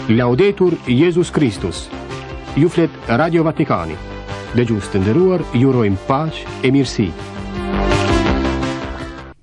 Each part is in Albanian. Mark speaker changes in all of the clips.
Speaker 1: Laudetur Jezus Kristus. Ju flet Radio Vatikani. Dëgjues të nderuar, ju urojmë paqe e mirësi.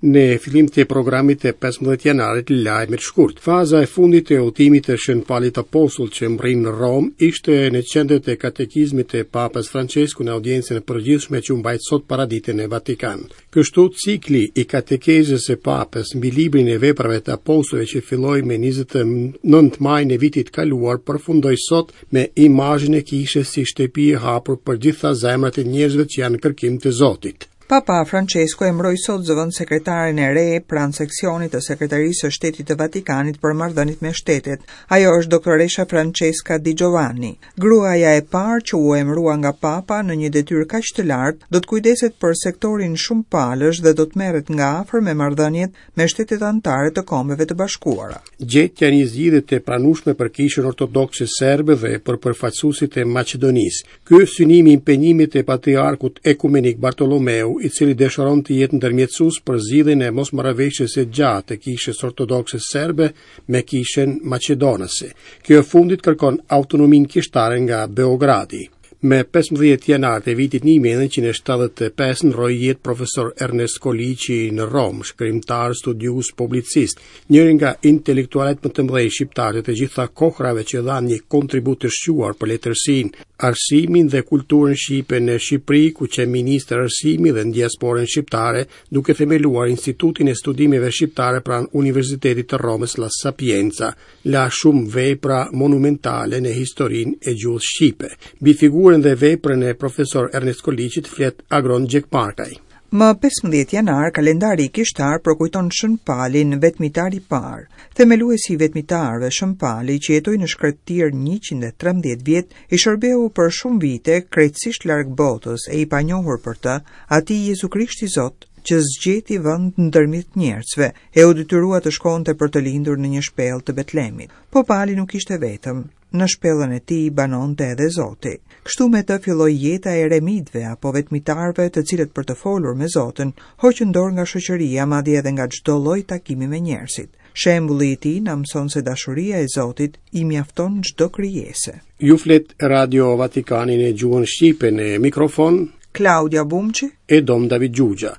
Speaker 2: Në fillim të programit të 15 janarit lajmet shkurt. Faza e fundit e udhëtimit të Shën Palit Apostull që mbërrin në Romë ishte në qendër të katekizmit të Papës Françesku në audiencën e përgjithshme që u mbajt sot paradite në Vatikan. Kështu cikli i katekezës së Papës mbi librin e veprave të apostujve që filloi me 29 majin e vitit kaluar përfundoi sot me imazhin e kishës si shtëpi e hapur për gjitha zemrat e njerëzve që janë në kërkim të Zotit.
Speaker 3: Papa Francesku emëroi sot zëvendëssekretaren e re pranë seksionit të Sekretarisë së Shtetit të Vatikanit për marrëdhëniet me shtetet. Ajo është doktoresha Francesca Di Giovanni. Gruaja e parë që u emërua nga Papa në një detyrë kaq të lartë, do të kujdeset për sektorin shumëpalësh dhe do të merret nga afër me marrëdhëniet me shtetet anëtare të Kombeve të Bashkuara.
Speaker 2: Gjetja e një zgjidhje të pranueshme për Kishën Ortodokse Serbe dhe për përfaqësuesit e Maqedonisë. Ky është synimi i impenjimit të Patriarkut Ekumenik Bartolomeu, i cili dëshiron të jetë ndërmjetësues për zgjidhjen e mosmarrëveshjes së gjatë të Kishës Ortodokse Serbe me Kishën Maqedonase. Kjo e fundit kërkon autonominë kishtare nga Beogradi. Me 15 janar të vitit 1975 ndërroi jetë profesor Ernest Koliqi në Romë, shkrimtar, studiues, publicist, njëri nga intelektualët më të mëdhenj shqiptarë të të gjitha kohërave që dhanë një kontribut të shquar për letërsinë, arsimin dhe kulturën shqipe në Shqipëri, ku qe ministër arsimi dhe në diasporën shqiptare, duke themeluar Institutin e Studimeve Shqiptare pranë Universitetit të Romës La Sapienza. La shumë vepra monumentale në historinë e gjuhës shqipe. Mbi figurën dhe veprën e profesor Ernest Koliqit flet Agron Gjekmarkaj.
Speaker 3: Më 15 janar, kalendari kishtar përkujton Shën Palin, vetmitar i parë. Themeluesi i vetmitarëve, Shën Pali, që jetoi në shkretëtirë 113 vjet, i shërbeu për shumë vite krejtësisht larg botës e i panjohur për të, atij Jezu Krishti Zot, që s'gjeti vend ndërmjet njerëzve, e u detyrua të shkonte për të lindur në një shpellë të Betlemit. Po Pali nuk ishte vetëm, në shpellën e tij banonte edhe Zoti. Kështu me të filloi jeta e eremitëve apo vetmitarëve, të cilët për të folur me Zotin, hoqën dorë nga shoqëria, madje edhe nga çdo lloj takimi me njerëzit. Shembulli i tij na mëson se dashuria e Zotit i mjafton çdo
Speaker 2: krijese. Ju flet Radio Vatikani në gjuhën shqipe në mikrofon
Speaker 3: Klaudia Bumçi
Speaker 2: e Dom David Xhuxha.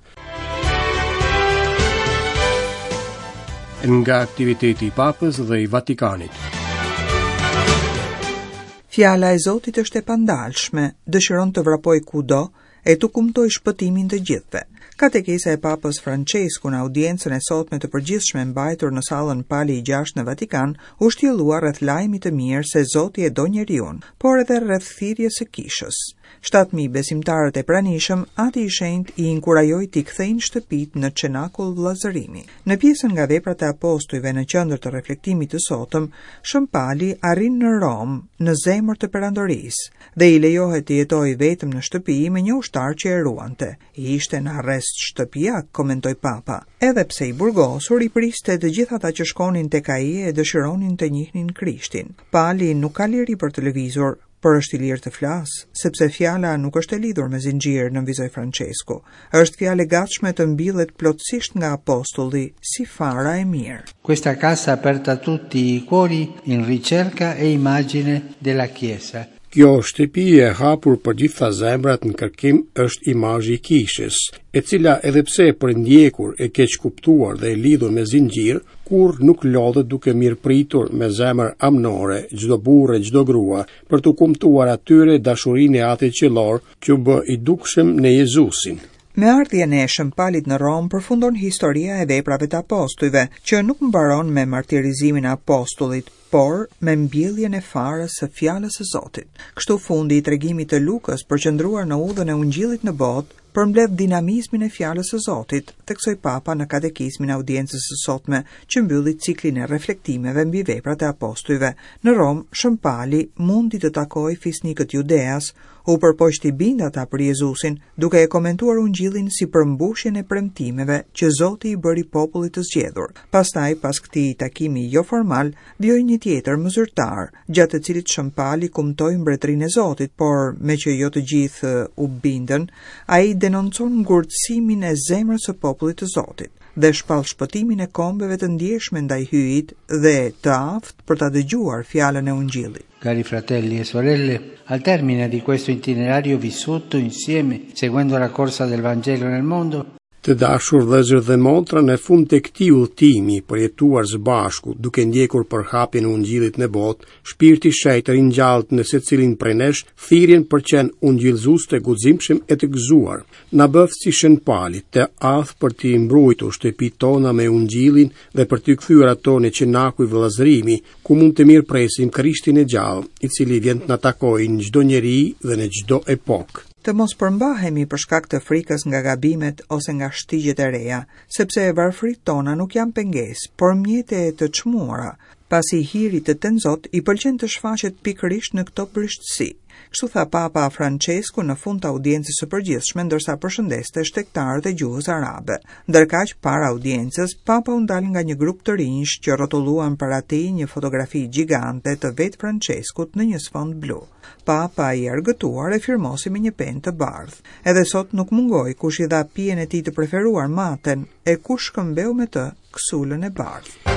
Speaker 1: Nga aktiviteti i Papës dhe i Vatikanit.
Speaker 3: Fjala e Zotit është e pandalshme, dëshiron të vrapojë kudo e t'u kumtojë shpëtimin të gjithëve. Katekeza e Papës Françesku në audiencën e sotme të përgjithshme mbajtur në sallën Pali i VI në Vatikan u shtjellua rreth lajmit të mirë se Zoti e do njeriun, por edhe rreth thirrjes së kishës. 7000 besimtarët e pranishëm, Ati i Shenjtë i inkurajoi t'i kthejnë shtëpitë në cenakull vëllazërimi. Në pjesën nga veprat e apostujve në qendër të reflektimit të sotëm, Shën Pali arrin në Romë, në zemër të perandorisë, dhe i lejohet të jetojë vetëm në shtëpi me një ushtar që e ruante. Ishte në arrest shtëpiak, komentoi Papa. Edhe pse i burgosur, i priste të gjithë ata që shkonin tek ai e dëshironin të njihnin Krishtin. Pali nuk ka liri për të lëvizur, por është i lirë të flasë, sepse fjala nuk është e lidhur me zinxhir, nënvizoi Françesku. Është fjalë e gatshme të mbillet plotësisht nga apostulli, si fara e mirë.
Speaker 4: Questa casa aperta a tutti i cuori in ricerca e immagine della Chiesa.
Speaker 2: Kjo shtëpi e hapur për gjitha zemrat në kërkim është imazhi i kishës, e cila edhe pse e përndjekur, e keqkuptuar dhe e lidhur me zinxhir, kurrë nuk lodhet duke mirëpritur me zemër amnore çdo burrë e çdo grua, për t'u kumtuar atyre dashurinë e Atit Qiellor që u bë i dukshëm në Jezusin.
Speaker 3: Me ardhjen e Shën Palit në Romë përfundon historia e veprave të apostujve, që nuk mbaron me martirizimin e apostullit, por me mbjelljen e farës së fjalës së Zotit. Kështu fundi i tregimit të Lukës, përqendruar në udhën e Ungjillit në botë, përmbledh dinamizmin e fjalës së Zotit, theksoi Papa në katekizmin e audiencës së sotme, që mbylli ciklin e reflektimeve mbi veprat e apostujve. Në Romë, Shën Pali mundi të takojë fisnikët judeas, u përpoq t'i bindë ata për Jezusin, duke e komentuar Ungjillin si përmbushjen e premtimeve që Zoti i bëri popullit të zgjedhur. Pastaj, pas këtij takimi joformal, vijoi një tjetër më zyrtar, gjatë të cilit Shën Pali kumtoi mbretërinë e Zotit, por meqë jo të gjithë u bindën, ai denoncon ngurtësimin e zemrës së popullit të Zotit. dhe shpall shpëtimin e kombeve të ndjeshme ndaj Hyjit dhe të aftë për ta dëgjuar fjalën e Ungjillit.
Speaker 4: Cari fratelli e sorelle, al termine di questo itinerario vissuto insieme, seguendo la corsa del Vangelo nel mondo,
Speaker 2: Të dashur vëllezër dhe motra, në fund të këtij udhëtimi, përjetuar së bashku, duke ndjekur përhapjen e Ungjillit në botë, Shpirti i Shenjtë ringjall në secilin prej nesh thirrjen për qenë ungjillëzues të guximshëm e të gëzuar. Na bëftë si Shën Pali, të aftë për t'i mbrujtur shtëpitë tona me Ungjillin dhe për t'i kthyer ato në çenakuj vëllazërimi, ku mund të mirëpresim Krishtin e gjallë, i cili vjen të na takojë në çdo njeri dhe në çdo epokë.
Speaker 3: Të mos përmbahemi për shkak të frikës nga gabimet ose nga shtigjet e reja, sepse varfëritë tona nuk janë pengesë, por mjete të çmuara, pasi hirit të tenzot i pëlqen të shfaqet pikërisht në këto brishtësi. Kështu tha Papa Françesku në fund të audiencës së përgjithshme ndërsa përshëndeste shtegtarët e gjuhës arabe. Ndërkaq, para audiencës, Papa u ndal nga një grup të rinjsh që rrotulluan para tij një fotografi gjigante të vetë Françeskut në një sfond blu. Papa i argëtuar e firmosi me një penë të bardhë. Edhe sot nuk mungoi kush i dha pijen e tij të preferuar maten e kush shkëmbeu me të kësulën e bardhë.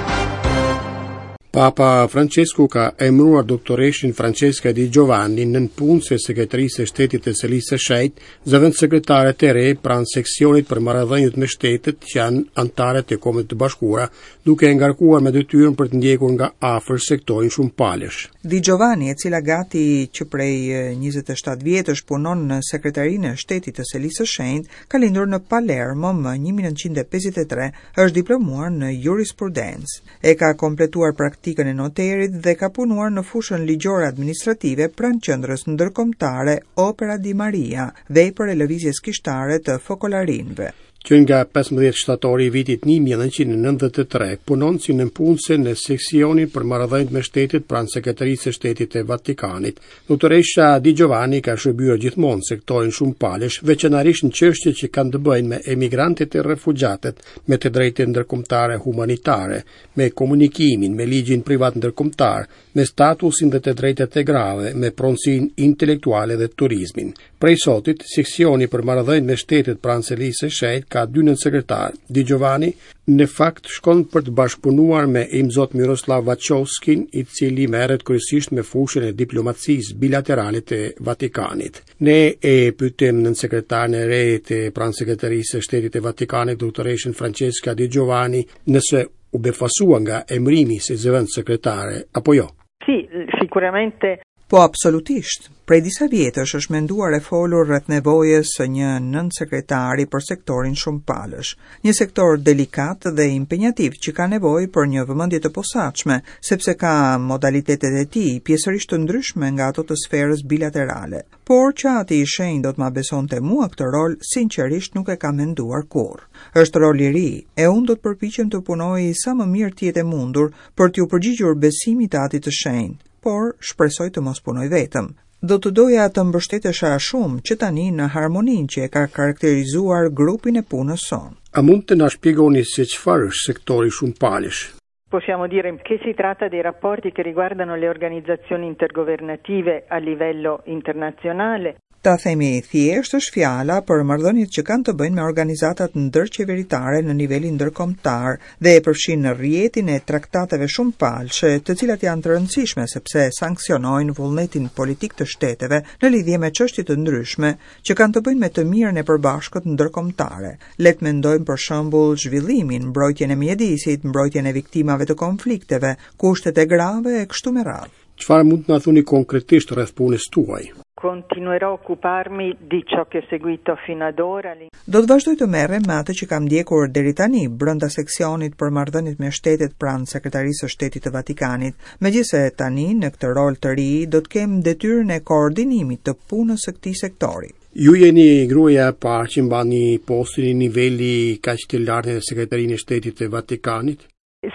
Speaker 2: Papa Francesku ka emëruar doktoreshën Francesca Di Giovanni nëpunëse e Sekretarisë së Shtetit të Selisë së Shenjtë, zëvendëssekretare të re pranë seksionit për marrëdhëniet me shtetet që janë anëtare të Kombeve të Bashkuara, duke e ngarkuar me detyrën për të ndjekur nga afër sektorin shumëpalësh.
Speaker 3: Di Giovanni, e cila gati që prej 27 vjetësh punon në Sekretarinë e Shtetit të Selisë së Shenjtë, ka lindur në Palermo më 1953, është diplomuar në jurisprudencë. E ka kompletuar praktikën e noterit dhe ka punuar në fushën ligjore administrative pranë qendrës ndërkombëtare Opera di Maria, vepër e lëvizjes kishtare të Fokolarinëve.
Speaker 2: Që nga 15 shtatori i vitit 1993, punon si nëpunëse në seksionin për marrëdhëniet me shtetet pranë Sekretarisë së Shtetit të Vatikanit. Doktoresha Di Giovanni ka shërbyer gjithmonë në sektorin shumëpalësh, veçanërisht në çështje që kanë të bëjnë me emigrantët e refugjatët, me të drejtën ndërkombëtare humanitare, me komunikimin, me ligjin privat ndërkombëtar, me statusin dhe të drejtat e grave, me pronësinë intelektuale dhe turizmin. Prej sotit, seksioni për marrëdhëniet me shtetet pranë Selisë së Shenjtë ka dy nënsekretarë. Di Giovanni, në fakt, shkon për të bashkëpunuar me Imzot Miroslav Vaçovskin, i cili merret kryesisht me fushën e diplomacisë bilaterale të Vatikanit. Ne e pyetëm nënsekretaren e re të pranë Sekretarisë së Shtetit të Vatikanit, doktoreshën Francesca Di Giovanni, nëse u befasua nga emërimi si zëvendëssekretare apo jo.
Speaker 5: Sì, sicuramente
Speaker 3: Po absolutisht. Prej disa vjetësh është menduar e folur rreth nevojës së një nënsekretari për sektorin shumëpalësh. Një sektor delikat dhe impenjativ që ka nevojë për një vëmendje të posaçme, sepse ka modalitetet e tij pjesërisht të ndryshme nga ato të sferës bilaterale. Por që Ati i Shenjtë do të ma besonte mua këtë rol, sinqerisht nuk e kam menduar kurrë. Është rol i ri, e unë do të përpiqem të punoj sa më mirë të jetë e mundur për t'iu përgjigjur besimit të Atit të Shenjtë, por shpresoj të mos punoj vetëm. Do të doja të mbështetesha shumë që tani në harmoninë që e ka karakterizuar grupin e punës sonë.
Speaker 2: A mund të na shpjegoni se çfarë është sektori shumëpalësh?
Speaker 5: Possiamo dire che si tratta dei rapporti che riguardano le organizzazioni intergovernative a livello internazionale.
Speaker 3: Ta themi thjesht është fjala për marrëdhëniet që kanë të bëjnë me organizatat ndërqeveritare në nivelin ndërkombëtar dhe e përfshin rrjetin e traktateve shumëpalëshe, të cilat janë të rëndësishme sepse sanksionojnë vullnetin politik të shteteve në lidhje me çështje të ndryshme që kanë të bëjnë me të mirën e përbashkët ndërkombëtare. Le të mendojmë për shembull zhvillimin, mbrojtjen e mjedisit, mbrojtjen e viktimave të konflikteve, kushtet e grave e kështu me
Speaker 2: radhë. Çfarë mund të na thoni konkretisht rreth punës tuaj?
Speaker 5: Continuerò a occuparmi di ciò che ho seguito fino ad ora.
Speaker 3: Do të vazhdoj të merrem me atë që kam ndjekur deri tani brenda seksionit për marrëdhëniet me shtetet pranë Sekretarisë së Shtetit të Vatikanit, megjithëse tani në këtë rol të ri do të kem detyrën e koordinimit të punës së këtij sektori.
Speaker 2: Ju jeni gruaja e parë që mbani postin e niveli kaq të lartë në Sekretarinë e Shtetit të Vatikanit?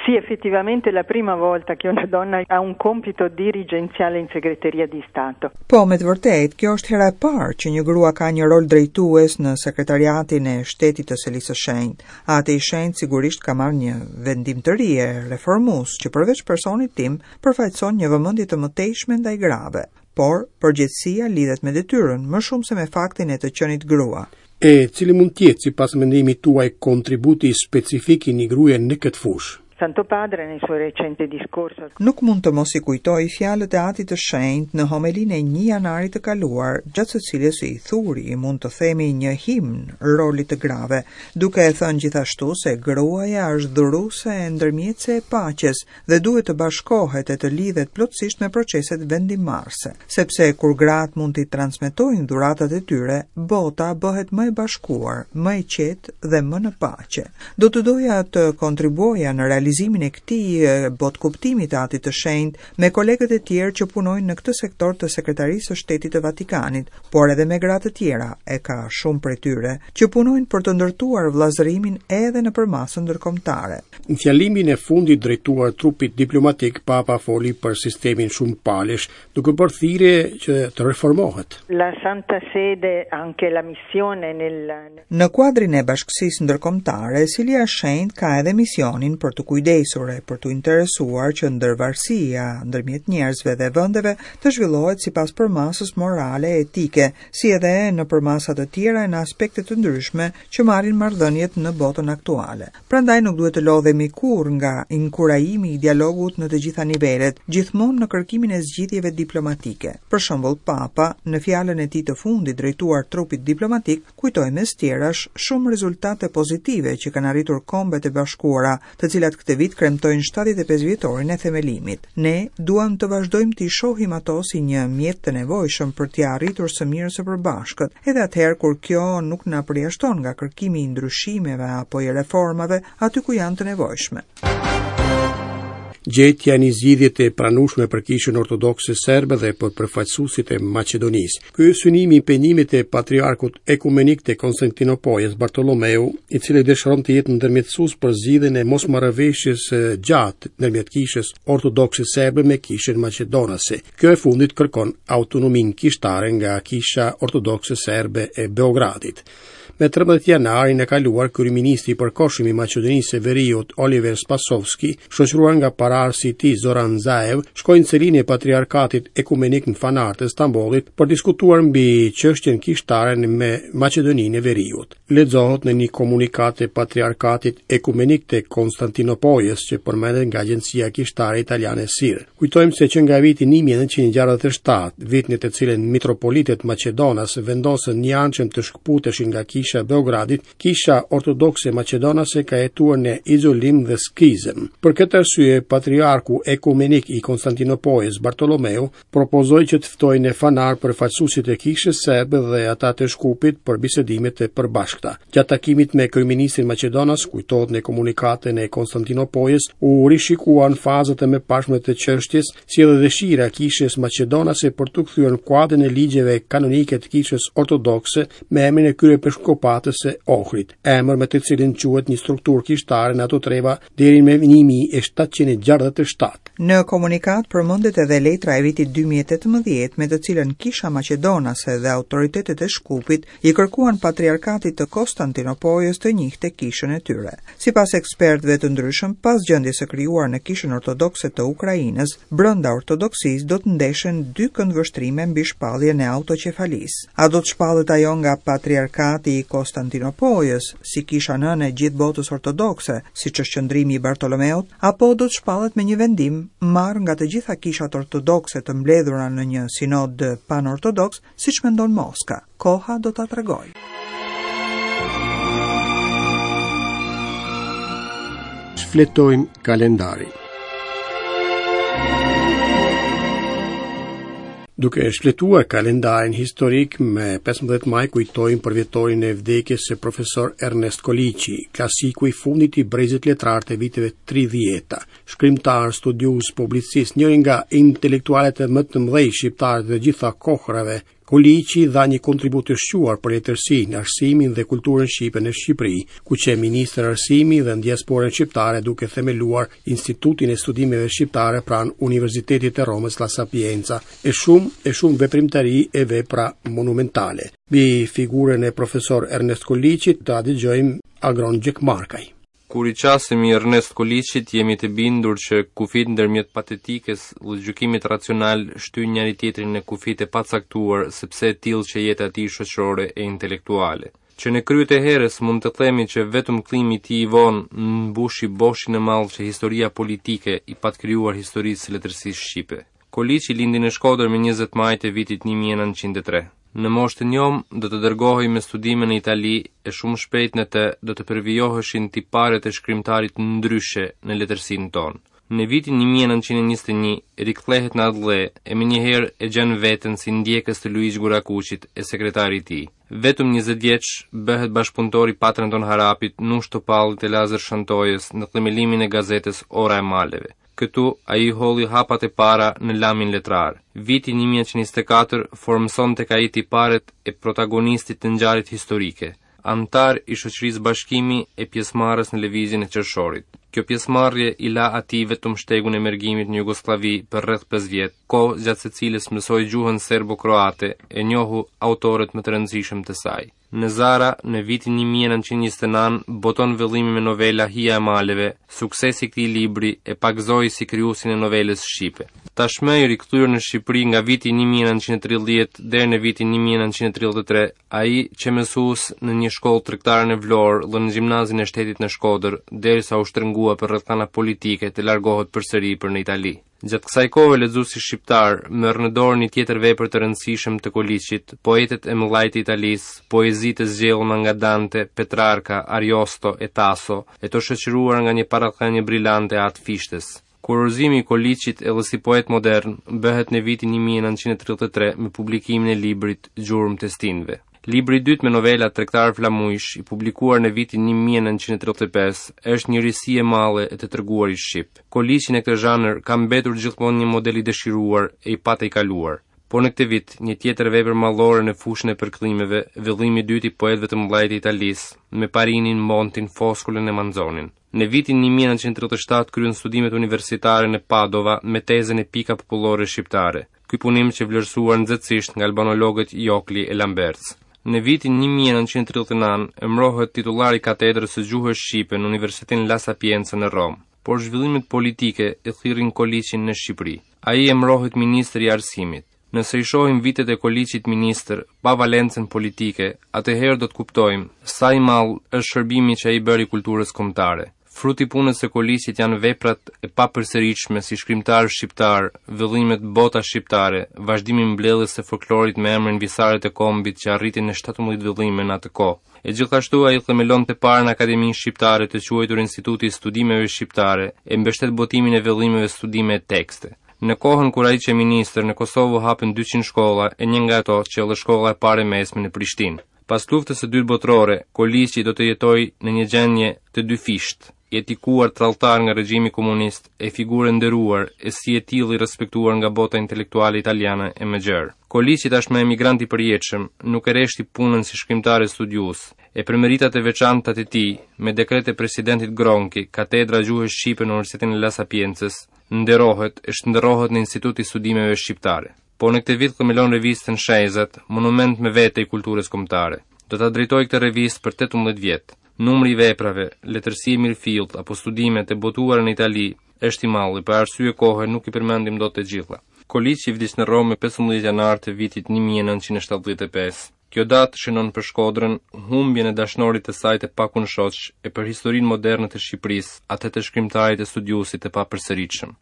Speaker 5: Sì, effettivamente è la prima volta che una donna ha un compito dirigenziale in segreteria di Stato.
Speaker 3: Po, me të vërtetë, kjo është hera e parë që një grua ka një rol drejtues në Sekretariatin e Shtetit të Selisë së Shenjtë. Ati i Shenjtë sigurisht ka marrë një vendim të ri e reformues që përveç personit tim përfaqëson një vëmendje të mëtejshme ndaj grave. Por, përgjegjësia lidhet me detyrën, më shumë se me faktin e të qenit grua.
Speaker 2: E cili mund të jetë sipas mendimit tuaj kontributi specifik i një gruaje në këtë fushë?
Speaker 5: Santo Padre nel suo recente discorso.
Speaker 3: Nuk mund të mos i kujtoj fjalët e Atit të Shenjtë në homelinë e 1 janarit të kaluar, gjatë së cilës i thuri, mund të themi një himn rolit të grave, duke e thënë gjithashtu se gruaja është dhuruese e ndërmjetëse e paqes dhe duhet të bashkohet e të lidhet plotësisht me proceset vendimmarrëse, sepse kur gratë mund t'i transmetojnë dhuratat e tyre, bota bëhet më e bashkuar, më e qetë dhe më në paqe. Do të doja të kontribuoja në realizimin e këtij botëkuptimi të Atit të Shenjtë me kolegët e tjerë që punojnë në këtë sektor të Sekretarisë së Shtetit të Vatikanit, por edhe me gra të tjera, e ka shumë prej tyre, që punojnë për të ndërtuar vëllazërimin edhe në përmasën ndërkombëtare.
Speaker 2: Në fjalimin e fundit drejtuar trupit diplomatik, Papa foli për sistemin shumëpalësh, duke bërë thirrje që të reformohet.
Speaker 5: La Santa Sede anche la missione nel
Speaker 3: Në kuadrin e bashkësisë ndërkombëtare, Selia e Shenjtë ka edhe misionin për t'u kujdesur e për t'u interesuar që ndërvarësia ndërmjet njerëzve dhe vendeve të zhvillohet sipas përmasës morale e etike, si edhe në përmasa të tjera e në aspekte të ndryshme që marrin marrëdhëniet në botën aktuale. Prandaj nuk duhet të lodhemi kurrë nga inkurajimi i dialogut në të gjitha nivelet, gjithmonë në kërkimin e zgjidhjeve diplomatike. Për shembull, Papa, në fjalën e tij të fundit drejtuar trupit diplomatik, kujtoi mes tjerash shumë rezultate pozitive që kanë arritur Kombet e Bashkuara, të cilat këtë vit kremtojnë 75 vjetorin e themelimit. Ne duam të vazhdojmë t'i shohim ato si një mjet të nevojshëm për t'ia arritur së mirës së përbashkët, edhe atëherë kur kjo nuk na përjashton nga kërkimi i ndryshimeve apo i reformave aty ku janë të nevojshme.
Speaker 2: Gjetja e një zgjidhje të pranueshme për Kishën Ortodokse Serbe dhe për përfaqësuesit e Maqedonisë. Ky është synimi i impenjimit të Patriarkut Ekumenik të Konstantinopojës, Bartolomeu, i cili dëshiron të jetë ndërmjetësues për zgjidhjen e mosmarrëveshjes së gjatë ndërmjet Kishës Ortodokse Serbe me Kishën Maqedonase. Kjo e fundit kërkon autonominë kishtare nga Kisha Ortodokse Serbe e Beogradit. Me 13 janarin e kaluar, kryeministri i përkohshëm i Maqedonisë së Veriut, Oliver Spasovski, shoqëruar nga paraardhësi i tij Zoran Zaev, shkoi në selinë e Patriarkatit Ekumenik në Fanar të Stambollit për diskutuar mbi çështjen kishtare me Maqedoninë e Veriut. Lexohet në një komunikatë të Patriarkatit Ekumenik të Konstantinopojës që përmendet nga agjencia kishtare italiane SIR. Kujtojmë se që nga viti 1967, vit në të cilin mitropolitët maqedonas vendosën njëanshëm të shkëputeshin nga Kisha e Beogradit, Kisha Ortodokse Maqedonase ka jetuar në izolim dhe skizëm. Për këtë arsye, Patriarku Ekumenik i Konstantinopojës, Bartolomeu, propozoi që të ftojë në Fanar përfaqësuesit e Kishës Serbe dhe ata të Shkupit për bisedime të përbashkëta. Gjatë takimit me kryeministrin maqedonas, kujtohet në komunikatën e Konstantinopojës, u rishikuan fazat e mëparshme të çështjes, si edhe dëshira e Kishës maqedonase për t'u kthyer në kuadrin e ligjeve kanonike të Kishës Ortodokse me emrin e Kryepeshkopatës së Ohrit, emër me të cilin quhet një strukturë kishtare në ato treva deri më 1767.
Speaker 3: Në komunikatë përmendet edhe letra e vitit 2018 me të cilën Kisha Maqedonase dhe autoritetet e Shkupit i kërkuan Patriarkatit të Konstantinopojës të njihte kishën e tyre. Sipas ekspertëve të ndryshëm, pas gjendjes së krijuar në Kishën Ortodokse të Ukrainës, brenda ortodoksisë do të ndeshen dy këndvështrime mbi shpalljen e autoqefalisë. A do të shpallet ajo nga Patriarkati i Konstantinopojës, si kisha nënë e gjithë botës ortodokse, siç është qëndrimi i Bartolomeut, apo do të shpallet me një vendim marrë nga të gjitha kishat ortodokse të mbledhura në një sinod panortodoks, siç mendon Moska. Koha do ta tregojë.
Speaker 2: Shfletojmë kalendarin. Duke shfletuar kalendarin historik me 15 maj kujtojmë përvjetorin e vdekjes së profesor Ernest Koliqi, klasiku i fundit i brezit letrar të viteve 30-ta, shkrimtar, studiues, publicist, njëri nga intelektualët më të mëdhenj shqiptarë të gjitha kohërave, Koliqi dha një kontribut të shquar për letërsinë, arsimin dhe kulturën shqipe në Shqipëri, ku qe ministër arsimi dhe në diasporën shqiptare duke themeluar Institutin e Studimeve Shqiptare pranë Universitetit të Romës La Sapienza, e shumë e shumë veprimtari e vepra monumentale. Mbi figurën e profesor Ernest Koliqit ta dëgjojmë Agron Gjekmarkaj.
Speaker 6: Kur i qasemi Ernest Koliqit, jemi të bindur që kufijtë ndërmjet patetikës dhe gjykimit racional shtyjnë njëri-tjetrin në kufijtë e pacaktuar, sepse e tillë qe jeta e tij shoqërore e intelektuale. Që në krye të herës mund të themi që vetëm kthimi i tij i vonë mbushi boshin e madh që historia politike i pat krijuar historisë së letërsisë shqipe. Koliqi lindi në Shkodër më 20 maj të vitit 1903. Në moshë të njomë do të dërgohej me studime në Itali e shumë shpejt në të do të përvijoheshin tiparet e shkrimtarit ndryshe në letërsinë tonë. Në vitin 1921 rikthehet në atdhe e menjëherë e gjen veten si ndjekës të Luigj Gurakuqit e sekretar i tij. Vetëm 20 vjeç bëhet bashkëpunëtor i Patër Anton Harapit, Nush Topallit e Lazër Shantojës në themelimin e gazetës Ora e Maleve. Këtu ai i hodhi hapat e para në lamin letrar. Viti 1924 formëson tek ai tiparet e protagonistit të ngjarjet historike, anëtar i shoqërisë Bashkimi e pjesëmarrës në lëvizjen e qershorit. Kjo pjesëmarrje i la atij vetëm shtegun e mërgimit në Jugosllavi për rreth 5 vjet, kohë gjatë së cilës mësoi gjuhën serbo-kroate e njohu autorët më të rëndësishëm të saj. Në Zara, në vitin 1929, boton vëllimin me novela Hija e Maleve, suksesi i këtij libri e pagëzoi si krijuesin e novelës shqipe. Tashmë i rikthyer në Shqipëri nga viti 1930 deri në vitin 1933, ai qe mësues në një shkollë tregtare në Vlorë dhe në gjimnazin e shtetit në Shkodër, derisa u shtrëngua për rrethana politike të largohet përsëri për në Itali. Gjatë kësaj kohe lexuesi shqiptar merr në dorë një tjetër vepër të rëndësishëm të Koliqit, Poetët e mëdhaj të Italisë, poezi të zgjedhura nga Dante, Petrarka, Ariosto e Taso, e të shoqëruar nga një parathënie brilante e At Fishtës. Kurorëzimi i Koliqit edhe si poet modern bëhet në vitin 1933 me publikimin e librit Gjurmët e stinëve. Libri i dytë me novela Tregtarë flamujsh, i publikuar në vitin 1935, është një risi e madhe e të treguarit shqip. Koliqi në këtë zhanër ka mbetur gjithmonë një model i dëshiruar e i patejkaluar. Po në këtë vit, një tjetër vepër madhore në fushën e përkthimeve, vëllimi i dytë i poetëve të mëdhenj të Italisë, me Parinin, Montin, Foskolën e Manzonin. Në vitin 1937 kryen studimet universitare në Padova me tezën Epika popullore shqiptare. Ky punim qe vlerësuar nxehtësisht nga albanologët Jokli e Lamberts. Në vitin 1939 emërohet titullar i katedrës së gjuhës shqipe në Universitetin La Sapienza në Romë, por zhvillimet politike e thirrin Koliqin në Shqipëri. Ai emërohet ministër i Arsimit. Nëse i shohim vitet e Koliqit ministër pa valencën politike, atëherë do të kuptojmë sa i madh është shërbimi që ai bëri kulturës kombëtare. Frut i punës së Koliqit janë veprat e papërsëritshme si shkrimtar shqiptar, vëllimet Bota shqiptare, vazhdimi i mbledhjes së folklorit me emrin Visaret e Kombit që arriti në 17 vëllime në atë kohë. E gjithashtu ai themelon të parën akademi shqiptare të quajtur Instituti i Studimeve Shqiptare e mbështet botimin e vëllimeve studime e tekste. Në kohën kur ai qe ministër, në Kosovë u hapën 200 shkolla e një nga ato qe edhe shkolla e parë e mesme në Prishtinë. Pas luftës së dytë botërore, Koliqi do të jetojë në një gjendje të dyfishtë, i etikuar tradhtar nga regjimi komunist e figurë e nderuar e si e tillë i respektuar nga bota intelektuale italiane e më gjerë. Koliqi tashmë emigrant i përjetshëm, nuk e reshti punën si shkrimtar e studiues, e për meritat e veçanta të tij, me dekret të presidentit Gronchi, katedra e gjuhës shqipe në Universitetin e La Sapiencës, nderohet e shndërrohet në Institut i Studimeve Shqiptare. Po në këtë vit themelon revistën Shenjëzat, monument më vete i kulturës kombëtare. Do ta drejtojë këtë revistë për 18 vjet. Numri i veprave, letërsi e mirëfilltë apo studime të botuara në Itali është i madh, për arsye kohe nuk i përmendim dot të gjitha. Koliqi vdiq në Romë më 15 janar të vitit 1975. Kjo datë shënon për Shkodrën humbjen e dashnorit të saj të pakundshoq e për historinë moderne të Shqipërisë, atë të shkrimtarit e studiuesit të papërsëritshëm.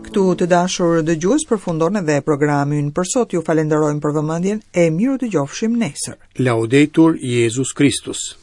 Speaker 3: Këtu të dashur dëgjues përfundon edhe programi ynë për sot. Ju falenderojmë për vëmendjen e mirudëgjofshim nesër.
Speaker 2: Laudetur Jezus Christus.